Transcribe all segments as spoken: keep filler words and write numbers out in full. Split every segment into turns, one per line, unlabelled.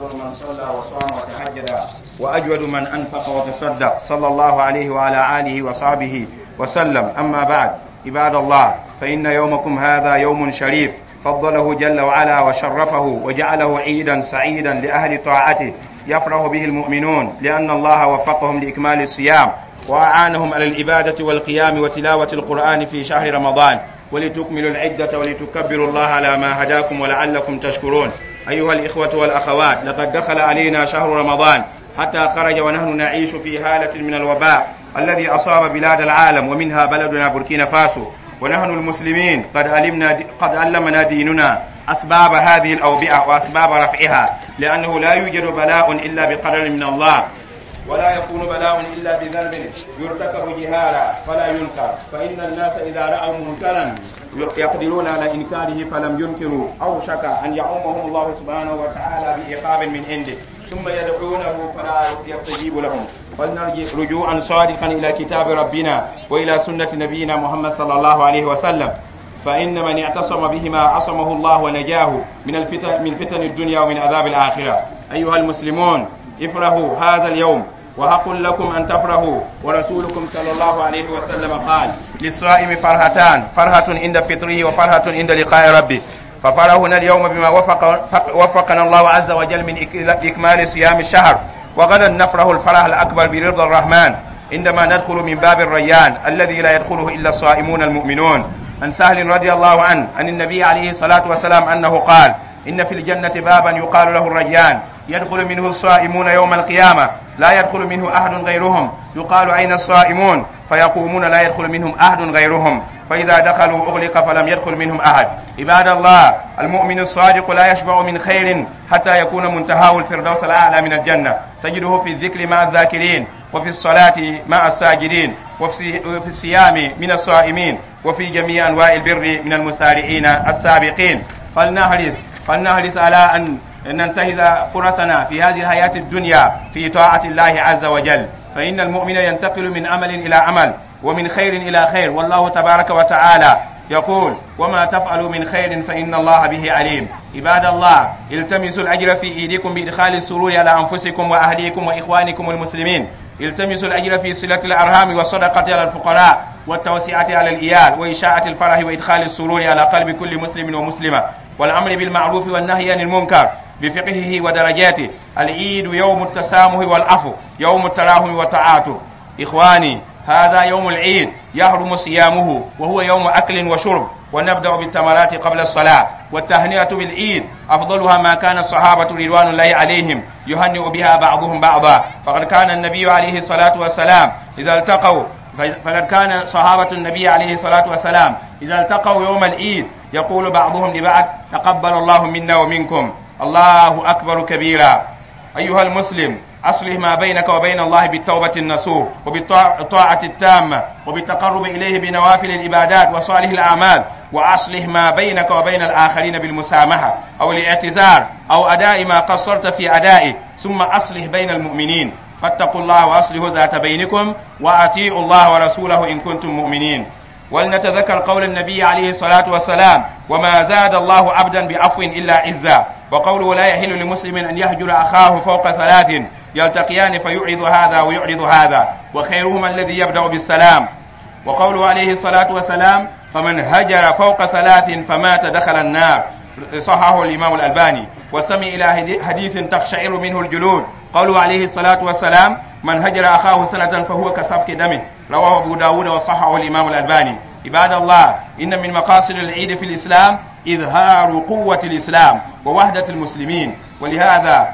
من صلى وصام وتهجد وأجود من أنفق وتصدق، صلى الله عليه وعلى آله وصحبه وسلم. أما بعد، عباد الله، فإن يومكم هذا يوم شريف فضله جل وعلا وشرفه وجعله عيدا سعيدا لأهل طاعته، يفرح به المؤمنون لأن الله وفقهم لإكمال الصيام وأعانهم على العبادة والقيام وتلاوة القرآن في شهر رمضان، ولتكملوا العدة ولتكبروا الله على ما هداكم ولعلكم تشكرون. أيها الإخوة والأخوات، لقد دخل علينا شهر رمضان حتى خرج ونحن نعيش في هالة من الوباء الذي أصاب بلاد العالم ومنها بلدنا بوركينا فاسو. ونحن المسلمين قد علمنا قد علمنا ديننا أسباب هذه الأوبئة وأسباب رفعها، لأنه لا يوجد بلاء إلا بقدر من الله، ولا يكون بلاء إلا بذنب يرتكب جهارا فلا ينكر، فإن الناس إذا رأوا منكرا يقدرون على إنكاره فلم ينكروا أوشك أن يعمهم الله سبحانه وتعالى بعقاب من عنده، ثم يدعونه فلا يستجيب لهم. فلنرجع رجوعا صادقا إلى كتاب ربنا وإلى سنة نبينا محمد صلى الله عليه وسلم، فإن من اعتصم بهما عصمه الله ونجاه من الفتن، من فتن الدنيا ومن عذاب الآخرة. أيها المسلمون، افرحوا هذا اليوم، وحق لكم أن تفرحوا. ورسولكم صلى الله عليه وسلم قال: للصائم فرحتان، فرحة عند فطره وفرحة عند لقاء ربه. ففرحنا اليوم بما وفق وفقنا الله عز وجل من إكمال صيام الشهر، وغدا نفرح الفرح الأكبر برضا الرحمن عندما ندخل من باب الريان الذي لا يدخله إلا الصائمون المؤمنون. عن سهل رضي الله عنه عن النبي عليه الصلاة والسلام أنه قال: إن في الجنة بابا يقال له الريان، يدخل منه الصائمون يوم القيامة، لا يدخل منه أحد غيرهم. يقال: أين الصائمون؟ فيقومون لا يدخل منهم أحد غيرهم، فإذا دخلوا أغلق فلم يدخل منهم أحد. عباد الله، المؤمن الصادق لا يشبع من خير حتى يكون منتهاه الفردوس الأعلى من الجنة، تجده في الذكر مع الذاكرين، وفي الصلاة مع الساجدين، وفي الصيام من الصائمين، وفي جميع أنواع البر من المسارعين السابقين. فلنحرص فلنحرص على أن ننتهز فرصنا في هذه الحياة الدنيا في طاعة الله عز وجل، فإن المؤمن ينتقل من عمل إلى عمل ومن خير إلى خير، والله تبارك وتعالى يقول: وما تفعلوا من خير فإن الله به عليم. عباد الله، التمسوا الأجر في إيديكم بإدخال السرور على أنفسكم وأهليكم وإخوانكم المسلمين. التمسوا الأجر في صلة الأرحام والصدقة على الفقراء والتوسعة على الإيال وإشاعة الفرح وإدخال السرور على قلب كل مسلم ومسلمة، والأمر بالمعروف والنهي عن المنكر بفقهه ودرجاته. العيد يوم التسامح والعفو، يوم التراحم والتعاطف. إخواني، هذا يوم العيد يحرم صيامه، وهو يوم أكل وشرب، ونبدأ بالتمرات قبل الصلاة. والتهنئة بالعيد أفضلها ما كان الصحابة رضوان الله عليهم يهنئ بها بعضهم بعضا، فقد كان النبي عليه الصلاة والسلام إذا التقوا فقد كان صحابة النبي عليه الصلاة والسلام إذا التقوا يوم العيد يقول بعضهم لبعض: تقبل الله منا ومنكم، الله أكبر كبيرا. أيها المسلم، أصلح ما بينك وبين الله بالتوبة النصوح وبالطاعة التامة وبالتقرب إليه بنوافل العبادات وصالح الأعمال، وأصلح ما بينك وبين الآخرين بالمسامحة أو الاعتذار أو أداء ما قصرت في أدائه، ثم أصلح بين المؤمنين. فاتقوا الله وأصلحوا ذات بينكم وأطيعوا الله ورسوله إن كنتم مؤمنين. ولنتذكر قول النبي عليه الصلاة والسلام: وما زاد الله عبدا بعفو إلا عزا. وقوله: لا يحل لمسلم أن يهجر أخاه فوق ثلاث يلتقيان فيعرض هذا ويعرض هذا، وخيرهما الذي يبدأ بالسلام. وقوله عليه الصلاة والسلام: فمن هجر فوق ثلاث فمات دخل النار، صححه الإمام الألباني. وسمع إلى حديث تقشعر منه الجلود، قوله عليه الصلاة والسلام: من هجر أخاه سنة فهو كسفك دمه، رواه أبو داود وصححه الإمام الألباني. عباد الله، إن من مقاصد العيد في الإسلام إظهار قوة الإسلام ووحدة المسلمين، ولهذا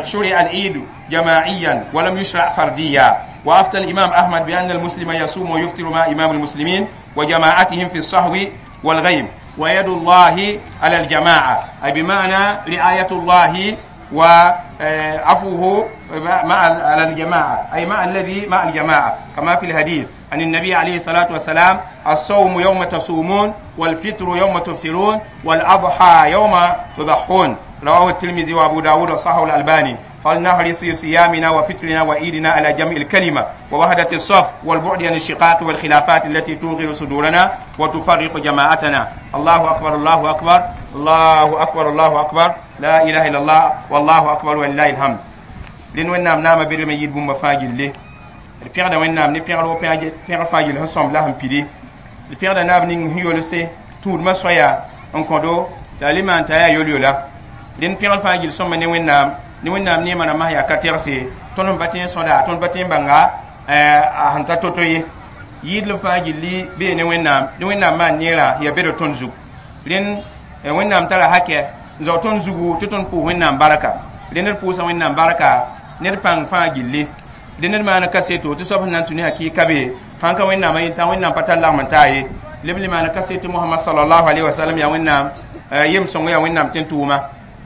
شرع العيد جماعيا ولم يشرع فرديا. وأفتى الإمام أحمد بأن المسلم يصوم ويفطر مع إمام المسلمين وجماعتهم في الصهو والغيم، ويد الله على الجماعة، أي بمعنى رعاية الله وعفوه مع على الجماعة، أي مع الذي مع الجماعة، كما في الحديث عن النبي عليه الصلاة والسلام: الصوم يوم تصومون، والفطر يوم تفطرون، والأضحى يوم تضحون، رواه الترمذي وأبو داود وصححه الألباني. فلنحرص في صيامنا وفطرنا وعيدنا على جمع الكلمة ووحدة الصف والبعد عن الشقاق والخلافات التي توغر صدورنا وتفرق جماعتنا. الله أكبر، الله أكبر، الله أكبر، الله أكبر، لا إله إلا الله، والله أكبر، ولله الحمد. Rẽnd Wẽnnaam naama bedme yɩɩd bũmba fãa gilli. D pẽgda Wẽnnaam ne pẽgr wo pẽgr fãa gill sẽn sõmb la sẽn pidi. D pẽgda naab ning sẽn yolse tũudmã soaya n kõdo la a le maan t'a yaa yol-yola. Rẽnd pẽgr fãa gill sõmba ne Wẽnnaam ne Wẽnnaam neemã rãmbã sẽn yaa ka tɛgse. Tõnd sẽn pa tõe n sõda, tõnd pa tõe n bãnga a sẽn ta to-to ye. Yɩɩdlem fãa gilli bee ne Wẽnnaam ne Wẽnnaam maan neerã yaa bed tõnd zug. Rẽnd Wẽnnaam tara hakɛ n zao tõnd zugu tɩ tõnd pʋʋs Wẽnnaam barka. Rẽnd d pʋʋsa Wẽnnaam barka ned pãng fãa gilli. Dẽ ned maan kaseto tɩ soab sẽn na n tũ ne hakɩɩka be sãn ka Wẽnnaamã yẽn tã Wẽnnaam pa tar lagm n taa ye. Leb le maan kaseto Mohamad sallallahu alaihi wasallam yaa Wẽnnaam yem sõngo, yaa Wẽnnaam tẽn-tʋʋma.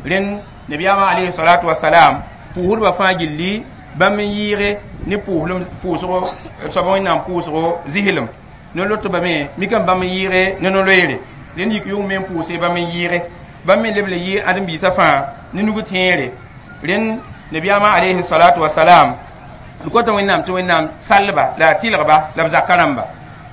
Rẽnd nabiyaamã alayhi salatu wasalam pʋʋsdbã fãa gilli bãmb n yɩɩge ne pʋʋslem pʋʋsgo soab Wẽnnaam pʋʋsgo zɩslem no-lotbã me mikame bãmb n yɩɩge ne no-loeere. Rẽnd yik yʋng me n pʋʋse bãmb n yɩɩge bãmb me leb le yɩ ãdem-biisã fãa ne nug tẽere. Rẽnd nabiyaamã alayhi salatu wasalam d kota Wẽnnaam tɩ Wẽnnaam sallba la a tɩlgba la b zaka rãmba.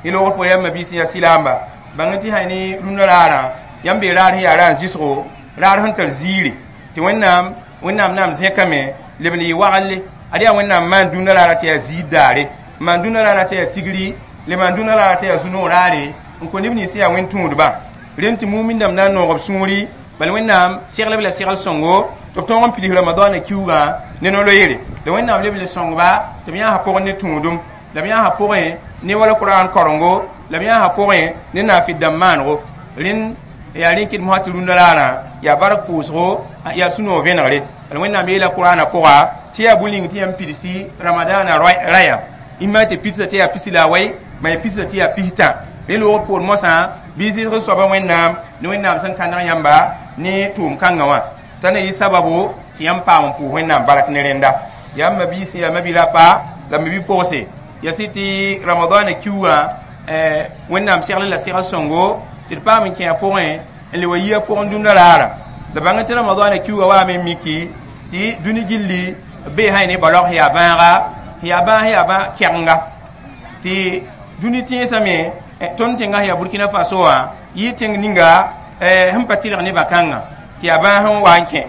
Y loogr pʋgẽ yãmb mabiis yaa silaamba bãng tɩ sã ne rũndã raarã yãmb bee raar sẽn yaa ra n zɩsgo raar sẽn tar ziiri tɩ Wẽnnaam Wẽnnaam naam zẽkame leb n yɩ wagenle. Ad yaa Wẽnnaam maan dũnna raara tɩ yaa ziid daare, n maan dũnna raara tɩ yaa tigri, le maan dũnna raara tɩ yaa zu-noog raare n kõ neb nins yaa wẽn-tũudba. Rẽnd tɩ mumin dãmb na n noog b sũuri bal Wẽnnaam seglb la segl sõngo tɩ b tõog n pids Ramadaanã kiuugã ne no-loeere. La Wẽnnaam leb le sõngba tɩ b yãasa pʋgẽ ne tũudum, la b yãasa pʋgẽ ne wala Kuraan karengo, la b yãasa pʋgẽ ne naafɩd dãmb maanego. Rẽnd yaa rẽ kɩd mosã tɩ rũndã raarã yaa bark pʋʋsgo, yaa sũ-noog vẽnegre. La Wẽnnaam yeela Kuraanã pʋga tɩ yaa bũ-ning tɩ yãmb pidsi Ramadaanã raya imã tɩ pidsa tɩ yaa pisi la a wɛy ma ya pidsa tɩ yaa pistã. Rẽ loogr poor mosã bɩ zɩsg soaba Wẽnnaam ne Wẽnnaam sẽn kãneg yãmba ne tʋʋm kãngã wã t'a na yɩ sababu tɩ yãmb paam n pʋʋs Wẽnnaam bark ne rẽnda. Yaa mabiisi, yaa mabi-rapa la mabi-pʋgse, yaa sɩ tɩ Ramadaanã kiuugã Wẽnnaam segl la segl sõngo tɩ d paam n kẽ a pʋgẽ n le wa yi a pʋgẽ dũnna raara. La bãng tɩ Ramadaanã kiuugã waame n miki tɩ dũni gilli bee sã ne balg sẽn yaa bãaga sẽn yaa bãag sẽn yaa bã kɛgenga tɩ dũni tẽesame. Tõnd tẽngã sẽn yaa Burkina Faso wã yɩ tẽng ninga sẽn pa tɩlg ne bã-kãngã tɩ yaa bãas sẽn wa n kẽ.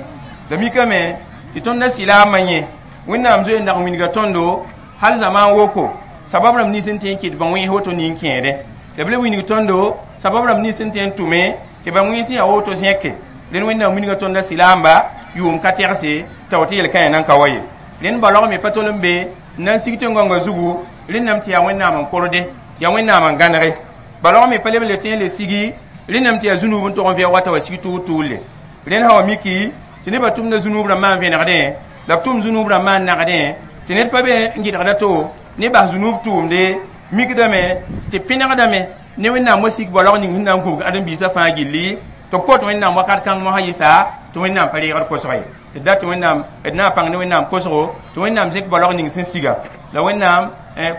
La mikame tɩ tõndã sɩlaamã yẽ Wẽnnaam zoe n dag n wilga tõndo hal zamaan woko sabab rãmb nins n tõe n kɩt bã wẽns woto nin-kẽede. La b le wilg tõndo sabab rãmb nins n tõe n tʋme tɩ ba wẽns yaa woto zẽke. Rẽnd Wẽnnaam wilga tõndã sɩlaamba yʋʋm ka tɛgse t'a woto yel-kãyã nan ka wa ye. Rẽnd balg me pa tol n be n na n sig tẽn-gãongã zugu. Rẽndame tɩ yaa Wẽnnaam n korde, yaa Wẽnnaam n gãnege. Balg me pa leb n le tõe n le sigi. Rẽndame tɩ yaa zũnub n tog n vɛoog wa t'a wa sig tʋʋl-tʋʋle. Rẽnd sã wa miki tɩ nebã tʋmda zũnub rãmbã n vẽnegdẽ la b tʋm zũnub rãmbã n nagdẽ tɩ ned pa be n gɩdgda to ne bas zũnub tʋʋmde mikdame tɩ pẽnegdame ne Wẽnnaam wa sik balg ning sẽn na n gũbg ãdem-biisã fãa gilli tɩ b kot Wẽnnaam wakat kãng mosã yɩsa tɩ Wẽnnaam pa reegd kosg ye. Tɩ dat tɩ Wẽnnaam d na n pãng ne Wẽnnaam kosgo tɩ Wẽnnaam zẽk balg ning sẽn siga la Wẽnnaam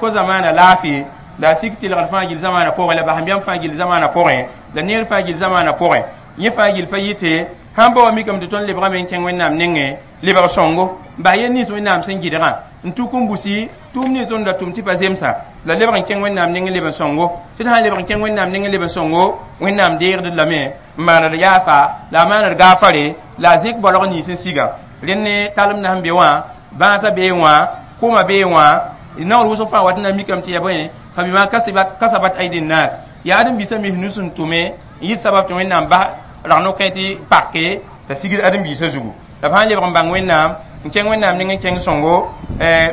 ko zamaana laafɩ la a sik tɩlgd fãa gill zamaanã pʋgẽ la basẽmbiam fãa gill zamaanã pʋgẽ la neer fãa gill zamaanã pʋgẽ. Yẽ fãa gill pa yɩte sãn ba wa mikame tɩ tõnd lebgame n kẽng Wẽnnaam nengẽ lebg sõngo n bas yel nins Wẽnnaam sẽn gɩdgã n tuk n busi tʋʋm nins tõnd da tʋm tɩ pa zemsa la lebg n kẽng Wẽnnaam nengẽ leb n sõngo. Tɩ d sã n lebg n kẽng Wẽnnaam nengẽ leb n sõngo, Wẽnnaam deegd lame n maand yaafa la a maand gaafare la a zẽk balg nins n siga. Rẽnd ne talem na sẽn be wã bãasã bee wã kʋma bee wã naoor wʋsg fãa wat n na mikame tɩ yaa bõe fa bima kasabat aidi nnas yaa ãdem-biisã mis nus n tʋme n yɩt sabab tɩ Wẽnnaam bas rag no-kẽ tɩ pake t'a sigd ãdem-biisã zugu. La b sã n lebg n bãng Wẽnnaam n kẽng Wẽnnaam ning n kẽng sõngo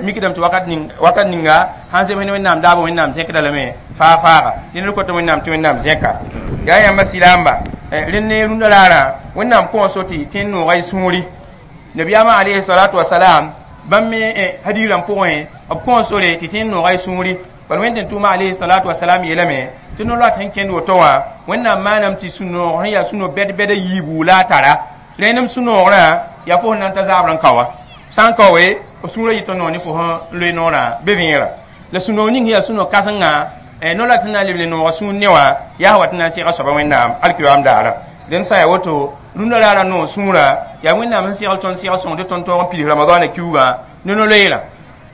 mikdame tɩ wakat ning wakat ninga sãn zems ne Wẽnnaam daabo Wẽnnaam zẽkda lame faa faaga. Rẽnd d kota Wẽnnaam tɩ Wẽnnaam zẽka yaa yãmba sɩlaamba. Rẽnd ne rũndã raarã Wẽnnaam kõo so tɩ tẽn nooga y sũuri. Nabiyaamã alayhi salatu wasalam bãmb me hadiis rãmb pʋgẽ b kõo sore tɩ tẽn nooga y sũuri. Bal Wẽnd tẽn tʋʋma alayhi salatu wasalam yeelame tɩ no-loat sẽn kẽnd woto wã Wẽnnaam maanam tɩ sũ-noog sẽn yaa sũ-noog bɛd-bɛda yiibu la a tara. Rẽnem sũ-noogrã yaa fo sẽn na n ta zaabr n ka wa sã n ka we f sũurã yɩ tõnd noog ne fo sẽn loe noorã be vẽera. La sũ-noog ning sẽn yaa sũ-noog kãsengã no-loat sẽn na n leb le nooga sũur ne wã yaa wat n na n sega soaba Wẽnnaam alkiyoam daara. Rẽnd sã n yaa woto rũndã raara noog sũurã yaa Wẽnnaam sẽn segl tõnd segl sõng tɩ tõnd tõog n pids Ramadaana kiuugã ne no-loeerã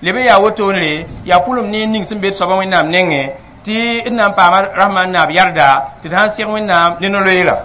leb n yaa wotone yaa pʋlem neer ning sẽn be d soabã Wẽnnaam nengẽ tɩ d na n paama rasmã n naab yarda tɩ d sãn seg Wẽnnaam ne no-loeerã.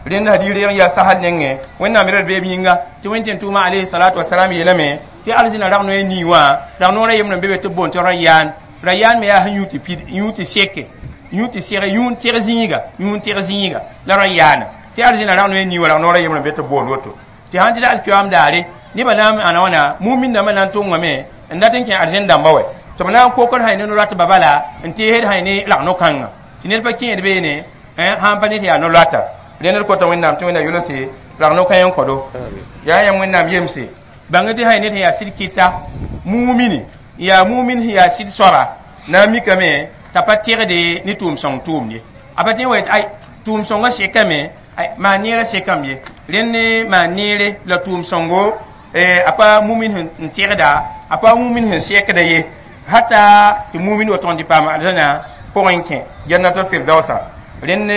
Rẽnd hadiis reeg n yaa sasl nengẽ Wẽnnaam yɛla d beeb yĩnga tɩ Wẽnd tẽn tʋʋma alayhi salatu wasalam yeelame tɩ arzĩna rag noe nii wã rag noorã yembre n be be tɩ b boond tɩ Rayaan. Rayaan me yaa sẽn yũ tɩ pid yũ tɩ seke yũ tɩ seg yũun teg zĩiga yũun teg zĩiga la Rayaana tɩ arzĩna rag noe nii wã rag noorã yembre n be tɩ b boond woto tɩ sãn tɩ alkiyoam daare nebã na n ãna wãna mumin dãmbã na n tʋngame n dat n kẽ arzẽn dãmba wɛ tɩ b na n kokd sã ne no-loatbã bala n teesd sã ne rag no-kãngã tɩ ned pa kẽed beene sãn pa ned yaa no-loata. Rẽnd d kota Wẽnnaam tɩ Wẽnnaam yolse rag no-kãe n kõdo yaa yãmb Wẽnnaam yemse bãng tɩ sã ned sẽn yaa sɩd kɩta mumini yaa mumin sẽn yaa sɩd soaba na n mikame t'a pa tegde ne tʋʋm-sõng tʋʋm ye a pa tẽ wa yetɩ ay tʋʋm-sõngã sekame maan neerã sekame ye rẽnd ne maan neere la tʋʋm-sõngo a pa mumin n tegda a pa mumin sẽn sekda ye hata tɩ mumin wa tõg n tɩ paam arzãna pʋgẽ n kẽ jannatul firdausa. Rẽnd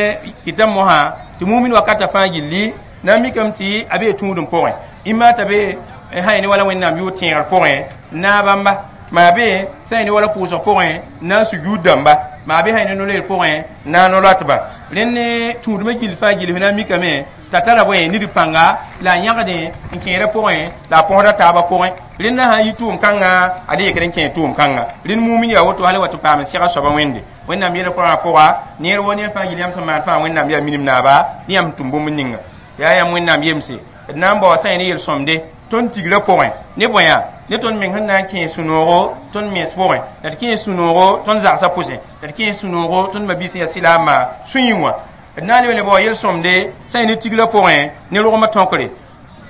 kɩta mosã tɩ mumin wakata fãa gilli na n mikame tɩ a bee tũudem pʋgẽ imma t'a be sã ne wala Wẽnnaam yʋʋr tẽegr pʋgẽ na bãmba maa be sã ne wala pʋʋsg pʋgẽ na n sujuud dãmba maa be sã ne no-loeer pʋgẽ na n no-loatba. Rẽnd ne tũudmã gill fãa gill f na n mikame t'a tara bõe nid pãnga la a yãgdẽ n kẽedã pʋgẽ la a põsda taabã pʋgẽ rẽndã sã n yi tʋʋm-kãngã a le yekd n kẽ tʋʋm-kãnga. Rẽnd mumin yaa woto hal wa tɩ paam n sega soabã Wẽnde Wẽnnaam yeela Kurãn pʋga neer wo neer fãa gill yãmb sẽn maan fãa Wẽnnaam yaa minim naaba ne yãmb sẽn tʋm bũmb ninga yaa yãmb Wẽnnaam yemse d na n baoa sã ne yel-sõmde tõnd tigrã pʋgẽ ne bõe ne tõnd meng sẽn na n kẽes sũ-noogo tõnd mens pʋgẽ la d kẽes sũ-noogo tõnd zagsã pʋsẽ la d kẽes sũ-noogo tõnd mabiis sẽn yaa silaamã sũ-yẽ wã d na n leb n le bao yel-sõmde sã n ne tigrã pʋgẽ ne rogmã tõkre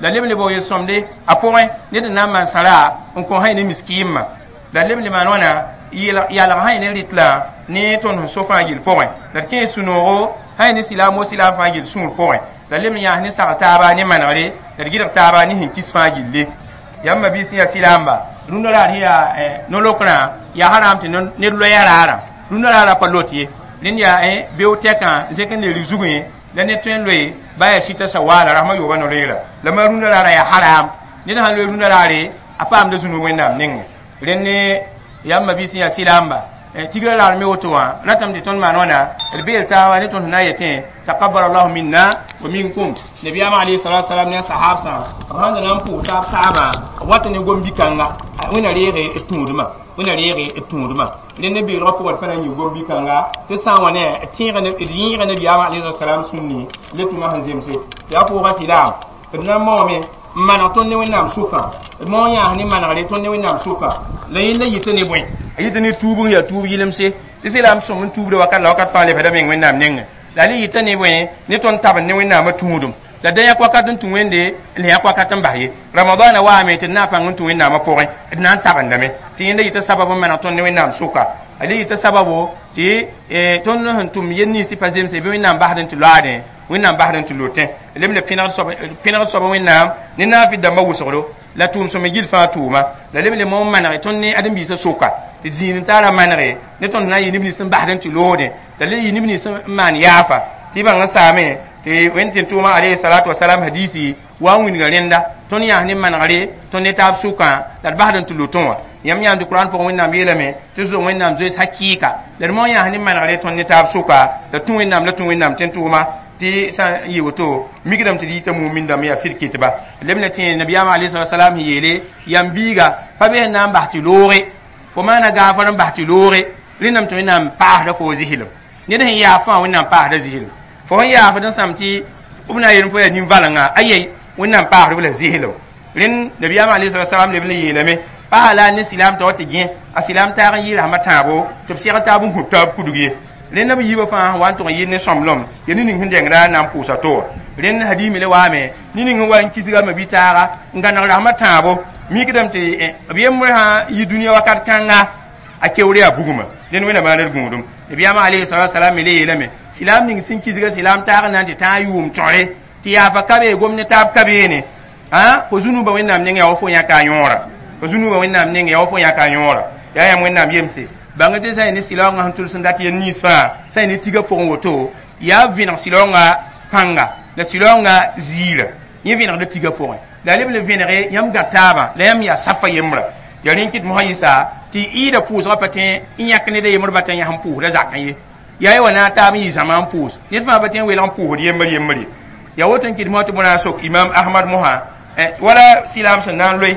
la leb n le bao yel-sõmde a pʋgẽ ned n na n maan sãra n kõ sã ne miskiimã la leb n le maan wãna yalg sã ne rɩtla ne tõnd sẽn so fãa gill pʋgẽ la d kẽes sũ-noogo sã ne silaam wo silaam fãa gill sũur pʋgẽ la leb n yãas ne sagl taaba ne manegre la d gɩdg taaba ne sẽn kis fãa gilli. Yãmb mabiis sẽn yaa silaamba rũndã raar sẽn yaa no-lokrã yaa haram tɩ ned loya raarã rũndã raarã pa lot ye rẽnd yaa beo tɛkã zẽk n leer zugẽ la ned tõe n loe ba yaa sɩta sawaala rasmã yooba no-loeera la ma rũndã raarã yaa haram ned sãn loe rũndã raare a paamda zũnug Wẽnnaam nengẽ. Rẽnd ne yãmb mabiis sẽn yaa silaamba tigrã raar me woto wã ratame tɩ tõnd maan wãna d beel taaba ne tõnd sẽn na n yetẽ taqabbal allahu minna wa minkum. Nabiyaamã alayhi salatu wasalam ne a sahabsã b sãn da na n pʋʋs taab taabã b wata ne gom-bi-kãnga Wẽnna reege d tũudmã Wẽnna reege d tũudmã rẽnd ne beelgã pʋgã d pa na n yɩ gom-bi-kãnga tɩ sã n wa ne d tẽega d yẽega nabiyaamã alayhi salatu wasalam sũnni le tʋma sẽn zemse yaa pʋʋga silaam d na n maoome n maneg tõnd ne Wẽnnaam sʋkã d maoog yãas ne manegre tõnd ne Wẽnnaam sʋka la yẽnda yɩta ne bõe a yɩta ne tuub n yaa tuub yɩlemse tɩ silaam sõm n tuubda wakat la wakat fãa lebda meng Wẽnnaam nengẽ la le yɩta ne bõe ne tõnd tabend ne Wẽnnaamã tũudum la da yãk wakat n tũ Wẽnde n le yãk wakat n bas ye Ramadaana waame tɩ d na n pãng n tũ Wẽnnaamã pʋgẽ d na n tabendame tɩ yẽnda yɩta sabab n maneg tõnd ne Wẽnnaam sʋka a le yɩta sababo tɩ tõnd sẽn tʋm yel nins tɩ pa zemse bɩ Wẽnnaam basd n tɩ loaadẽ Wẽnnaam basd n tɩ lotẽ leb le pẽnegd soaba Wẽnnaam ne naafɩd dãmbã wʋsgdo la tʋʋm sõme gill fãa tʋʋma la leb le mo n manege tõnd ne ãdem-biisã sʋka tɩ zĩig n taara manege ne tõnd na n yɩ neb nins n basd n tɩ loodẽ la le yɩ neb nins n maan yaafa tɩ bãng n saame tɩ Wẽnd tɩ tʋʋma alayhi salatu wasalam hadisi wa n wilga rẽnda tõnd yãas ne manegre tõnd ne taab sʋkã la d basd n tɩ lotẽ wã yãmb yãamd Kurãn pʋgẽ Wẽnnaam yeelame tɩ zoe Wẽnnaam zoees hakɩɩka la d mo yãas ne manegre tõnd ne taab sʋka la tũ Wẽnnaam la tũ Wẽnnaam tẽn tʋʋma tɩ sã n yɩ woto mikdame tɩ d yita mumin dãmb yaa sɩd kɩtba leb ne tẽ nabiyaamã alayhi salatu wasalam sẽn yeele yam biiga pa be sẽn na n bas tɩ looge fo maana gaafar n bas tɩ looge rẽndame tɩ Wẽnnaam paasda fo zɩslem ned sẽn yaaf fãa Wẽnnaam paasda zɩslem fo sẽn yaafd n sãm tɩ b na n yeel fo yaa nin-valenga ayei Wẽnnaam paasd b la zɩslem rẽnd nabiyaamã alayhi salatu wasalam leb n yeelame paa la ne silaam t'a wa tɩ gẽ a silaam taag n yɩ rasmã tãabo tɩ b segl taab n gũb taab kudg ye rẽnd b yiibã fãa wa n tʋg n yɩ ne sõmblem ya ne ning sẽn dengda na n pʋʋsa to rẽnd hadiime le waame ne ning sẽn wa n kisga mabi-taaga n gãneg rasmã tãabo mikdame tɩ b yembre sã yɩ dũniyã wakat kãnga a keoor yaa bugma rẽnd Wẽnna maan d gũudum nabiyaamã alayhi salatu wasalam me le yeelame silaam ning sẽn kisga silaam taag n na n tɩ tãag yʋʋm tõre tɩ yaafa ka bee gom ne taab ka beene fo zũnubã Wẽnnaam neng yaa wa fo yãka a yõora fo zũnubã Wẽnnaam neng yaa wa fo yãka a yõora yaa yãmb Wẽnnaam yemse bãng tɩ sã n ne silaoongã sẽn tʋls n dat yel nins fãa sã n ne tiga pʋgẽ woto yaa vẽneg silaoongã pãnga La silaoongã ziira yẽ vẽnegda tiga pʋgẽ la leb le vẽnege yãmb gã taabã la yãmb yaa safa yembrã ya rẽn kɩt mosã yɩsa tɩ ɩɩda pʋʋsgã pa tõe n yãk ned a yembr bata yãs n pʋʋsda zakẽ ye yaa ye wa na a taab n yɩ zãma n pʋʋs ned fãa pa tõe n welg n pʋʋsd yembr yembr ye ya woto n kɩt mosã tɩ bõna sok imam ahmad mosã wala silaam sẽn na n loe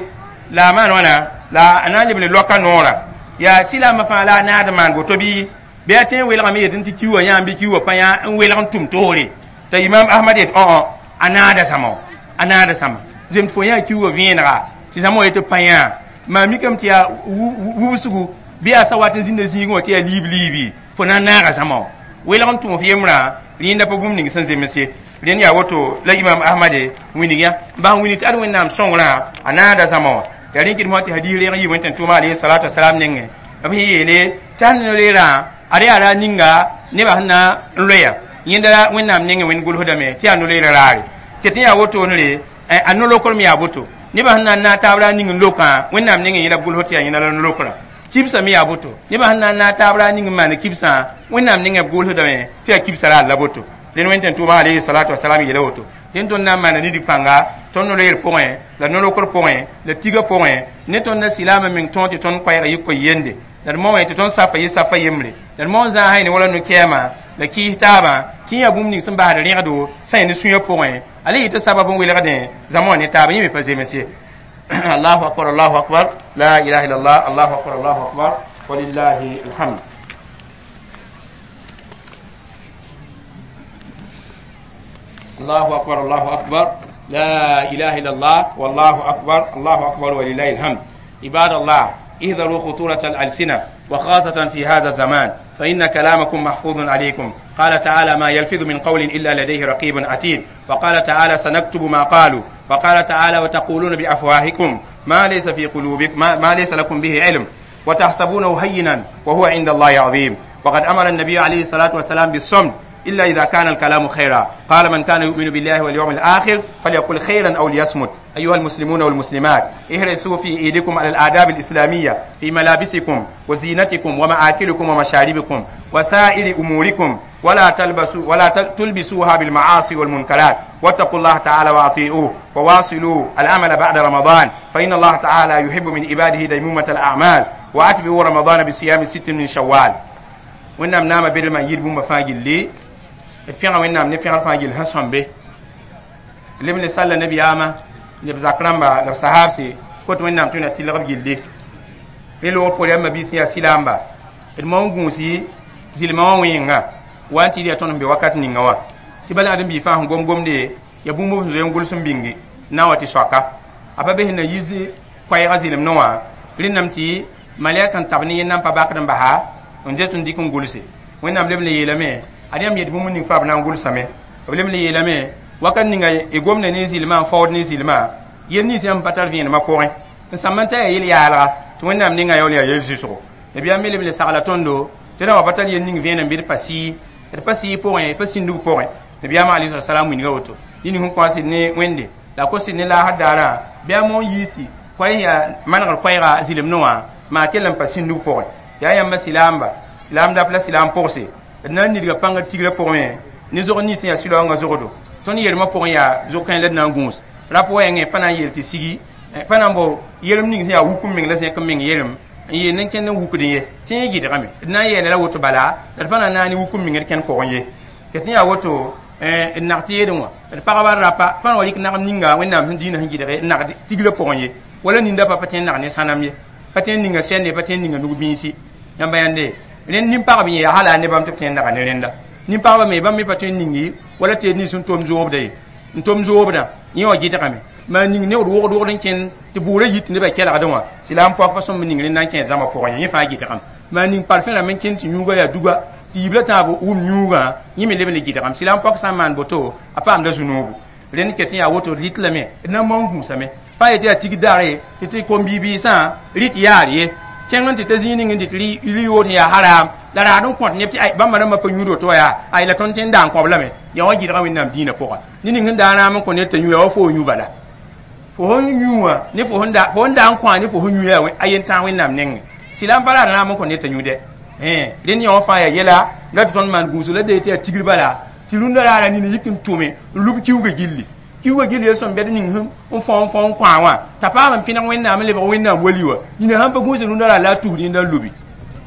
la a maan wãna la a na n leb ne loaka noorã yaa silaamã fãa la a naad n maan woto bɩ bɩ a tõe n welgame yetɩ tɩ kiuwã yãam bɩ kiuwã pa yã n welg n tʋm toore t'a imam ahmad yet õ a naada zãma a naada zãma zemd fo yã kiuwã vẽenega tɩ zãma wa yetɩ pa yã maa mikame tɩ yaa wubsgu bɩ yaa sa wat n zĩnda zĩigẽ wã tɩ yaa liib liibi fo na n naaga zãma wã welg n tʋm f yembrã rẽnda pa bũmb ning sẽn zems ye rẽnd yaa woto la imam ahmade wilg yã n bas n wilg tɩ ad wẽnnaam sõngrã a naada zãma wã yaa rẽn kɩd mosã tɩ hadiis reeg n yɩ wẽn-tẽn-tʋʋma alayhi salatu wasalam nengẽ b sẽn yeele tɩ sãn no-leerã ad yaa ra ninga nebã sẽn na n loeya yẽnda la wẽnnaam nengẽ wẽnd gʋlsdame tɩ yaa no-leerã raare ket n yaa wotone a no-lokr me yaa boto nebã sẽn na n naag taab ra ning n lokã wẽnnaam nengẽ yẽla b gʋlsd tɩ yaa yẽna la no-lokrã kibsã me yaa boto nebã sẽn na n naag taab ra ning n maan kibsã wẽnnaam nengẽ b gʋlsdame tɩ yaa kibsã ra la boto rẽnd wẽn-tẽn-tʋʋma alayhi salatu wasalam yeela woto dẽn tõnd na n maana nidg pãnga tõnd no-loeer pʋgẽ la no-lokr pʋgẽ la tiga pʋgẽ ne tõnd na silaamã meng tõog tɩ tõnd koɛɛg yɩ koe-yende la d moẽ tɩ tõnd safa yɩ safa yembre la d moon zãa ne wala no-kɛɛmã la kɩɩs taabã tɩ yã bũmb ning sẽn basd rẽgdo sã yẽ ne sũyã pʋgẽ ala yɩ tɩ sabab n welgdẽ zãma wã ne taabã yẽ me pa zems ye allahu akbar allahu akbar la ilaha illallah allahu akbar allahu akbar walillahi alhamd الله أكبر الله أكبر لا إله إلا الله والله أكبر الله أكبر ولله الحمد عباد الله اهذروا خطورة الألسنة وخاصة في هذا الزمان فإن كلامكم محفوظ عليكم قال تعالى ما يلفظ من قول إلا لديه رقيب عتيد وقال تعالى سنكتب ما قالوا وقال تعالى وتقولون بأفواهكم ما ليس في قلوبكم ما, ما ليس لكم به علم وتحسبونه هينا وهو عند الله عظيم وقد أمر النبي عليه الصلاة والسلام بالصمت إلا إذا كان الكلام خيرا قال من كان يؤمن بالله واليوم الآخر فليقل خيرا أو ليصمت أيها المسلمون والمسلمات احرصوا في إيدكم على الآداب الإسلامية في ملابسكم وزينتكم ومآكلكم ومشاربكم وسائر أموركم ولا تلبسوا ولا تلبسوها بالمعاصي والمنكرات واتقوا الله تعالى وأطيعوه وواصلوا العمل بعد رمضان فإن الله تعالى يحب من عباده ديمومة الأعمال وأتبعوا رمضان بصيام ست من شوال وإنما نام بدل يد بوم فاجل d pẽga wẽnnaam ne pẽgr fãa gill sẽn sõmbe leb ne salla nabiyaamã neb zak rãmba la b sahaabse kot wẽnnaam tɩ na tɩlg b gilli rẽ loogr poor yãmb mabiis yaa silaamba d maon gũusi zɩlmã wã wẽenga wa n tɩ yaa tõnd n be wakat ninga wã tɩ bala ãdem bii fãa sẽn gom gomde ya bũmb b sẽn zoe n gʋls n bĩngi na n wa tɩ soaka a pa be sẽn na yiis koɛɛgã zɩlemdẽ wã rẽndame tɩ malɛk n tab ne yẽnda n pa bakd n basa n det n dɩk n gʋlse wẽnnaam leb n yeelame ad yãmb yet bũmb ning fãa b na n gʋlsame b leb n le yeelame wakat ninga y gomda ne zɩlmã n faood ne zɩlmã yel nins yãmb pa tar vẽenemã pʋgẽ n sãmb n ta yaa yel-yaalga tɩ wẽnnaam ninga yaool yaa yel-zɩsgo nabiyaam me leb n le sagla tõndo tɩ rã wa pa tar yel ning vẽenem bɩ d pa sɩɩ d pa sɩɩ pʋgẽ pa sĩndg pʋgẽ nabiyaamã alayhi salam wilga woto ning sẽn kõ sɩd ne wẽnde la a kos sɩd ne laasd daarã bɩ a moon yiisi koɛɛ yaa manegr koɛɛga zɩlemdẽ wã maa kell n pa sĩndg pʋgẽ yaa yãmba silaamba silaam dap la silaam pʋgse d na n nidga pãnga tigrã pʋgẽ ne zog nins yaa sɩlaoongã zogdo tõnd yelmã pʋgẽ yaa zog-kãe la d na n gũus rap wɛɛngẽ pa na n yeel tɩ sigi pa na n bao yelem ning sẽn yaa wuk n meng la zẽk n meng yelem n yeel nen kẽnd n wukdẽ ye tɩ yẽ gɩdgame d na n yeela la woto bala la d pa na n naane wuk n meng d kẽnd pʋgẽ ye ket sẽn yaa woto d nag tɩ yeedẽ wã d pagba rapa pa na wa rɩk nagem ninga wẽnnaam sẽn dĩinã sẽn gɩdge n nagd tigrã pʋgẽ ye wala ninda pa pa tõe n nag ne sãnem ye pa tõe n ninga sɛnde pa tõe n ninga nug-bĩisi yãmba yãnde rẽnd nin-pagb yẽ yaa hala ne bãmb tɩ b tõe n naga ne rẽnda nin-pagba me bãmb me pa tõe n ningi wala tɩ nins n tom zoobda ye n tom zoobdã yẽ wã gɩdgame maa ning neood wogd wogd n kẽnd tɩ bʋʋrã yit tɩ nebã kelgdẽ wã sɩla n poak pa sõmb ning rẽnda n kẽed zãma pʋgẽ ye yẽ fãa gɩdgame maa ning parfẽ rãmb n kẽnd tɩ yũuga yaa duga tɩ yibla tãab wʋm yũugã yẽ me leb n le gɩdgame sɩla n poak sã n maan boto a paamda zu-noobu rẽnd ket n yaa woto d rɩt lame d na n maoon gũusame pa yetɩ yaa tig daare tɩ tɩ kom-bi-biisã rɩt yaar ye kẽng n tɩ ta zĩig ning n dɩt rɩ-yood sẽn yaa haram la raad n kõt neb tɩ ay bãmba rãmbã pa yũud woto wa yaa ay la tõnd tõe n daa n kõb lame yaa wã gɩdga wẽnnaam dĩinã pʋga ne ning sẽn daa raam n kõ ned t'a yũ yaa wa fo yũ bala fo sẽn yũ wã ne fo sẽn daa n kõ ne fo sẽn yũ yaa a yen tãag wẽnnaam nengẽ sɩla n pa raad raam n kõ ned t'a yũ dɛ rẽnd yã wã fãa yaa yɛla la tɩ tõnd maan gũusg la dee tɩ yaa tigr bala Tɩ rũndã raara nina yik n tʋme n lub kiuugã gilli kiuugã gilli yel sõm bɛd ning n fõ n fõ n kõ wã t'a paam n pẽneg wẽnnaam n lebg wẽnnaam wali wã nina sãn pa gũus rũndã raar la a tus rẽnda n lubi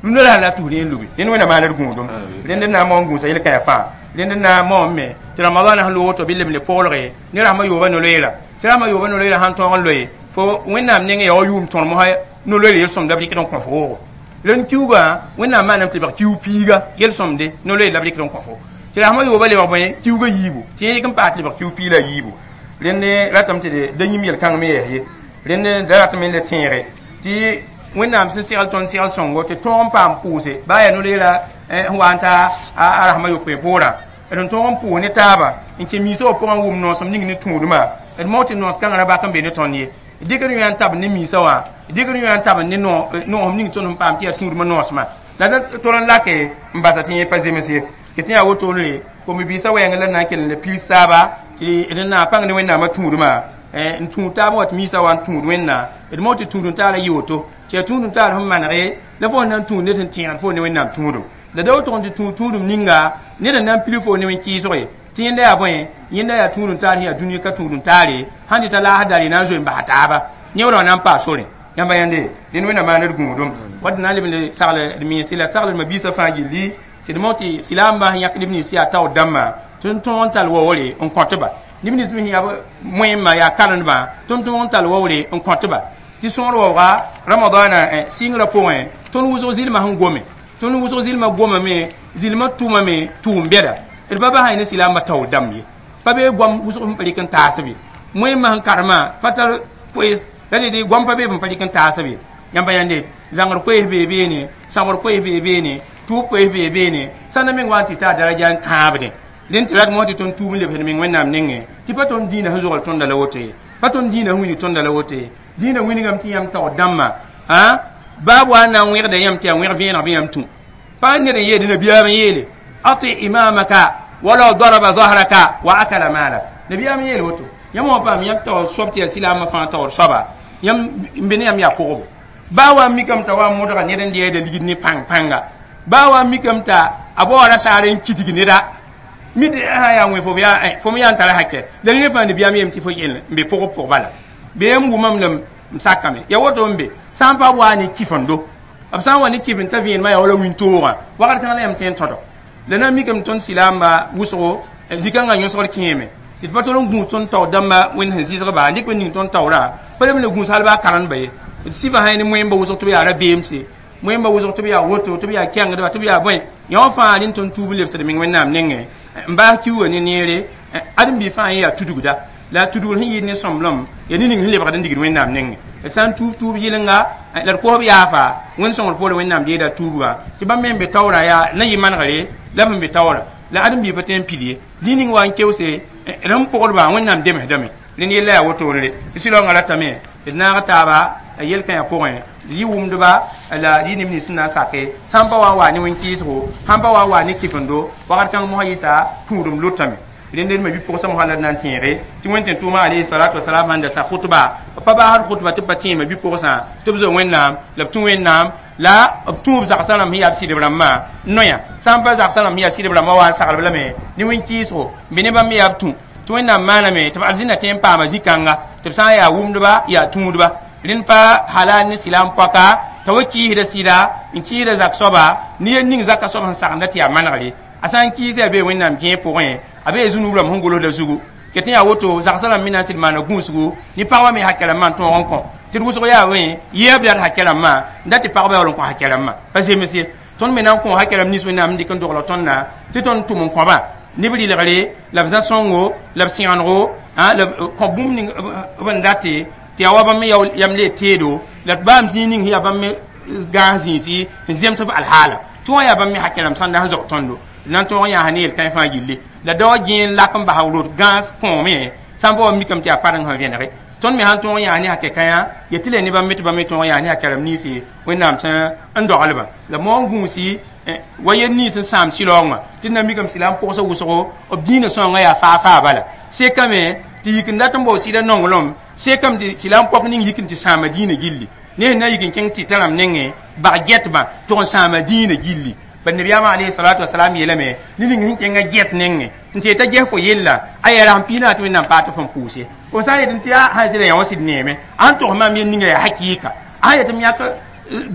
rũndã raar la a tus rẽ n lubi rẽnd wẽnnaam maan d gũudum rẽnd n na n maoon gũusa yel-kãyã fãa rẽnd n na n maoon me tɩ ramadãna sẽn loog woto bɩ lem le koglge ne rasmã yooba no-loeera tɩ rasmã yooba no-loeera sãn tõog n loe fo wẽnnaam nengẽ yaa wa yʋʋm tõr mosã no-loeer yel-sõmda b rɩkd n kõ fo woogo rẽnd kiuugã wẽnnaam maaname tɩ lebg kiu piiga yel-sõmde no-loeer la b rɩkd n kõ fo tɩ rasmã yooba lebg bõe kiuugã yiibu tɩ yẽ yik n paas tɩ lebg kiu pii la a yiibu rẽnd ratame tɩ da yĩm yel-kãng me yɛs ye rẽnd da ratame n le tẽege tɩ wẽnnaam sẽn segl tõnd segl sõngo tɩ tõog n paam pʋʋse baa yaa no-loeera sẽn wa n ta a rasmã yopoe poorã d n tõog n pʋʋs ne taaba n kẽ miisã wã pʋgã n wʋm noosem ning ne tũudmã d mao tɩ noos kãngã ra bak n be ne tõnd ye dɩkd yõ n tabd ne miisã wã dɩkd yõ n tabd ne noosem ning tõnd sẽn paam tɩ yaa tũudmã noosmã la da tol n lake n basa tɩ yẽ pa zems ye tɩ tɩ yaa wotone kom-biisã wɛɛngẽ la na n kell n le piis taaba tɩ d na pãng ne wẽnnaamã tũudmã n tũud taab wa tɩ miisã wa n tũud wẽnna d mao tɩ tũud n taara yɩ woto tɩ yaa tũud n taar sẽn manege la fo na n tũud ned sẽn tẽegd fo ne wẽnnaam tũudum la da woto tɩ tũud tũudum ninga ned n na n pili fo ne wẽn-kɩɩsge tɩ yẽnda yaa bõe yẽnda yaa tũud n taar sẽn yaa dũni ka tũud n taare sãn dɩta laas dare na n zoe n basa taaba yẽ wã na n paas sore yãmba yãnde dẽnd wẽnnaam maan d gũudum wat d na n leb n sagl d mense la sagl d ma-biisã fãa gilli tɩ d mao tɩ silaambã sẽn yãk neb nins yaa taoor dãmbã tɩ n tõog n tall waoore n kõtba neb nins me sẽn yaa moẽmã yaa karendbã tɩ n tõog n tall waoore n kõtba tɩ sõor waooga ramadaana sɩngrã pʋgẽ tõnd wʋsg zɩlmã sẽn gome tõnd wʋsg zɩlmã gomame zɩlmã tʋmame tʋʋm bɛda d pa basã ne silaambã taoor dãmb ye pa bee goam wʋsg sẽn pa rɩk n taasb ye moẽmã sẽn karemã pa tar koees la dɩ goam pa bee sẽn pa rɩk n taasb ye yãmba yãnde zãngr koees bee beene sãbr koees bee beene tʋʋb koees bee beene sãnda meng wa n tɩ taa daraja n kãabdẽ rẽnd tɩ rat mosã tɩ tõnd tuub n lebsd meng wẽnnaam nengẽ tɩ pa tõnd dĩinã sẽn zogl tõnda la woto ye pa tõnd dĩinã sẽn wilg tõnda la woto ye dĩinã wilgame tɩ yãmb taoor dãmbã baab wa n na n wẽgda yãmb tɩ yaa wẽg vẽeneg bɩ yãmb tũ pa ned n yeede nabiyaam n yeele ati imamaka walaw daraba zahraka wa akala malak nabiyaam n yeel woto yãmb wã paam yãmb taoor soab tɩ yaa silaamã fãa taoor soaba yãmb n be ne yãmb yaa kogbo baa wa n mikame t'a wa n modga ned n deeda ligd ne pãng pãnga baa wa n mikame t'a a baoora saar n kitg neda mid sã yaa wẽ fo yaa fo me yaa n tara hakɛ la ned fãa nabiyaam yeem tɩ fo yell n be pʋgb pʋg bala bee n wʋmame la n sakame ya woto n be sã n pa waa ne kifendo b sã n wa ne kifend t'a vẽenemã yaa wala wĩntoogã wakat kãng la yãmb tõe n tõdo la na n mikame tõnd silaamba wʋsgo zĩ-kãngã yõsgd kẽeme tɩ d pa tol n gũus tõnd taoor dãmba wẽnd sẽn zɩsgba n dɩk ning tõnd taoorã pa leb n le gũus hal baa karendba ye d sɩbã sã ne moẽmba wʋsg tɩ b yaa rabeemse moẽmba wʋsg tɩ b yaa woto tɩ b yaa kɛngdba tɩ b yaa bõe yã wã fãa rẽnd tõnd tuub n lebsd meng wẽnnaam nengẽ n baas kiuugã ne neere ãdem-biig fãa yẽ yaa tudgda la tudgr sẽn yɩɩd ne sõmblem yaa ne ning sẽn lebgd n digd wẽnnaam nengẽ d sã n tuub tuub yɩlenga la d kosb yaafa wẽnd sõngr poorẽ wẽnnaam deeda tuubgã tɩ bãmb me n be taoorã yaa na yɩ manegre la b sẽn be taoorã la ãdem-biig pa tõe n pil ye zĩig ning wa n keoose rẽn pʋgdbã wẽnnaam demsdame rẽnd yella yaa wotone tɩ sɩlaoongã ratame d naag taaba yel-kãyã pʋgẽ d yɩ wʋmdba la d yɩ neb nins sẽn na n sake sãn pa wa n waa ne wẽn-kɩɩsgo sãn pa wa n waa ne kɩfendo wakat kãng mosã yɩsa tũudem lotame rẽnd d ma bi-pʋgsã mosã la d na n tẽege tɩ wẽn tʋʋma alayhi salatu wasalam sãn da sa khutba pa baasd khutba tɩ b pa tẽema bi-pʋgsã tɩ b zo wẽnnaam la b tũ wẽnnaam la b tũ b zagsã rãmb sẽn yaa b sɩdb rãmbã noya sã n pa zagsã rãmb sẽn yaa sɩdb rãmbã wa n saglb lame ne wẽn-kɩɩsgo n be ne bãmb yaa b tũ tɩ wẽnnaam maaname tɩ b arzĩnda tõe n paama zĩ-kãnga tɩ b sã n yaa wʋmdba yaa tũudba rẽnd pa halal ne silaam pɔka t'a wa kiisda sɩda n kiisda zak soaba ne yel ning zaka soab sẽn sagenda tɩ yaa manegre a sã n kiisa yaa bee wẽnnaam gẽeg pʋgẽ a bee zũnub rãmb sẽn golsda zugu ket yaa woto zagsã rãmb me na n sɩd maana gũusgu ne pagba me hakɛ rãmbã n tõog n kõ tɩ d wʋsg yaa wẽ yeeb dat hakɛ rãmbã n dat tɩ pagba yaool n kõ hakɛ rãmbã pa zems ye tõnd me na n kõ hakɛ rãmb nins wẽnnaam n dɩk n dogl tõndã tɩ tõnd tʋm n kõba ne b rɩlgre la b zã-sõngo la b sẽgenego la b kõ bũmb ning b n date tɩ yaa wa bãmb me yam le teedo la d baam zĩig ning sẽn yaa bãmb me gãas zĩisi sẽn zems b alhaala tɩ wã yaa bãmb me hakɛ rãmb sãnda sẽn zao tõndo na n tõog n yãas ne yel-kãe fãa gilli la dao gẽen lak n basa rot gãas kõome sã n pa wa mikame tɩ yaa pareng sẽn vẽnege tõnd me sãn tõog n yãas ne hakɛ kãyã ya tɩ la ne bãmb me tɩ bãmb me tõog n yãas ne hakɛ rãmb ninsi wẽnnaam sẽn n doglbã la moon gũusi wa yel nins n sãam sɩlaoongã tɩ d na mikame sɩla n pʋgsa wʋsgo b dĩinã sõangã yaa faa faa bala sekame tɩ yik n dat n bao sɩda nonglem sekame tɩ sɩla n pɔk ning yik n tɩ sãama dĩinã gilli ne sẽn na yik n kẽng tɩ t'a rãmb nengẽ bag gɛtbã tʋg n sãama dĩinã gilli Bad nabiyaamã alayhi salatu wasalam yeelame ne ning sẽn kẽngã get nengẽ n tɩ t'a ges fo yella a yaa rasem piig naas tɩ Wẽnnaam paag tɩ fõn pʋʋse fo sã n yet tɩ yaa sã n sɩda yã wã sɩd neeme a sẽn togs maam yel ninga yaa hakɩɩka a sã n yet m yãk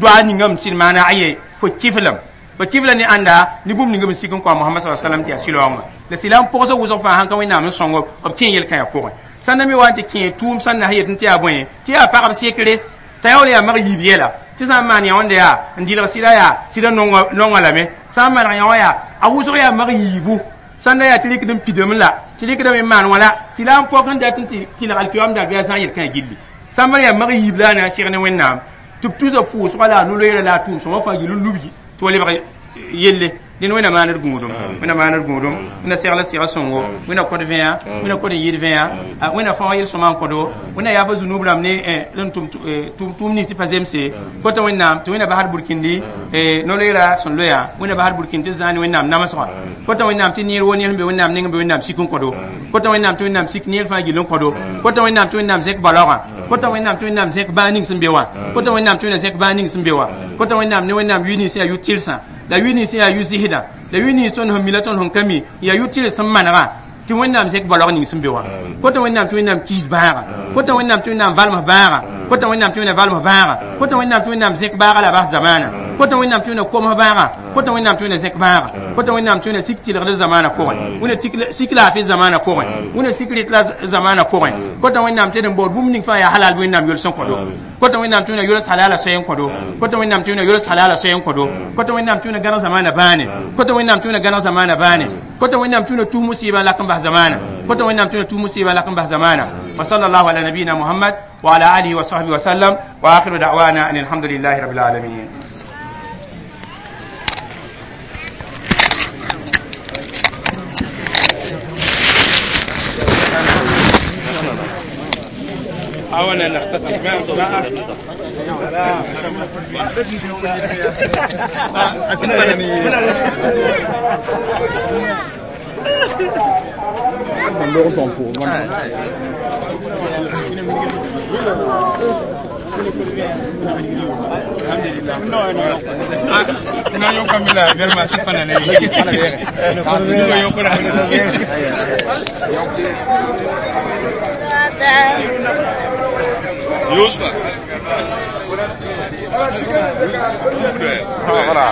doa ninga m sɩd maana aye fo kiflem fo kifla ne ãnda ne bũmb ninga b sik n kõ a Mohamad sa sallam tɩ yaa sɩlaoongã la sɩla n pʋgsa wʋsg fãa sãn ka Wẽnnaam n sõng b kẽ yel-kãyã pʋgẽ sãn na me wa n tɩ kẽ tʋʋm sãn na yet tɩ yaa bõe tɩ yaa pagb sekre t'a yaool yaa mag yiib yɛla tɩ sã n maan yã wãnda yaa n dɩlg sɩda yaa sɩda nonga lame sã n maneg yã wã yaa a wʋsg yaa mag yiibu sãn da yaa tɩ rɩkd n pidame la tɩ rɩkdame n maan wã la sɩla n pok n dat n tɩ tɩlg alkiyam daar bɩ a zã yel-kãyã gilli sã n maan yaa mag yiib la a na n seg ne Wẽnnaam tɩ b tusa pʋʋsga la a no-loeera la a tʋʋm sõma fãa gill n lubgi tɩ wa lebg yelle dẽn Wẽnna maand d gũudum Wẽnna maand d gũudum Wẽnna segl d sega sõngo Wẽnna kõd vẽa Wẽnna kõd n yɩɩd vẽa Wẽnna fãoog yel-sõma n kõdo Wẽnna yaaf zunub rãmb ne n tʋm tʋʋm nins tɩ pa zemse kota Wẽnnaam tɩ Wẽnna basd burkindi no-loeera sẽn loya Wẽnna basd burkind tɩ zãa ne Wẽnnaam namsgã kota Wẽnnaam tɩ neer wo neer sẽn be Wẽnnaam neng n be Wẽnnaam sik n kõdo kota Wẽnnaam tɩ Wẽnnaam sik neer fãa gill n kõdo kota Wẽnnaam tɩ Wẽnnaam zẽk balaoogã kota Wẽnnaam tɩ Wẽnnaam zẽk bãag ning sẽn be wã kota Wẽnnaam tɩ Wẽnnaam zẽk bãag ning sẽn be wã kota Wẽnnaam ne Wẽnnaam yʋ nins yaa yʋ-tɩrsã la yʋ nins yaa yʋ-zɩsdã la yʋ nins tõnd sẽn mi la tõnd sẽn ka mi yaa yʋ-tɩrs sẽn manegã tɩ Wẽnnaam zẽk balaoog ning sẽn be wã kota Wẽnnaam tɩ Wẽnnaam kiis bãaga kota Wẽnnaam tɩ Wẽnnaam valms bãaga kota Wẽnnaam tɩ Wẽnnaam valms bãaga kota Wẽnnaam tɩ Wẽnnaam zẽk baaga la bas zamaana kota Wẽnnaam tɩ Wẽnnaam koms bãaga kota Wẽnnaam tɩ Wẽnnaam zẽk bãaga kota Wẽnnaam tɩ Wẽnnaam sik tɩlgd zamaana pʋgẽ Wẽnna sik laafɩ zamaana pʋgẽ Wẽnna sik rɩt la zamaana pʋgẽ kota Wẽnnaam tɩ d n baood bũmb ning fãa yaa halal bɩ Wẽnnaam yols n kõdo kota Wẽnnaam tɩ Wẽnnaam yols halala soy n kõdo kota Wẽnnaam tɩ Wẽnnaam yols halala soy n kõdo kota Wẽnnaam tɩ Wẽnnaam gãneg zamaana bãane kota Wẽnnaam tɩ Wẽnnaam gãneg zamaana bãane kota Wẽnnaam tɩ Wẽnnaam tus musiibã lak n bas zamaana kota Wẽnnaam tɩ Wẽnnaam tus musiibã lak n bas zamaana wa sallallahu ala nabiyina Muhammad wa ala alihi wa sahbihi wa sallam wa akhiru da'wana an alhamdulillahi rabbil alamin. أولا نختصر ما
Yusuf. Voilà.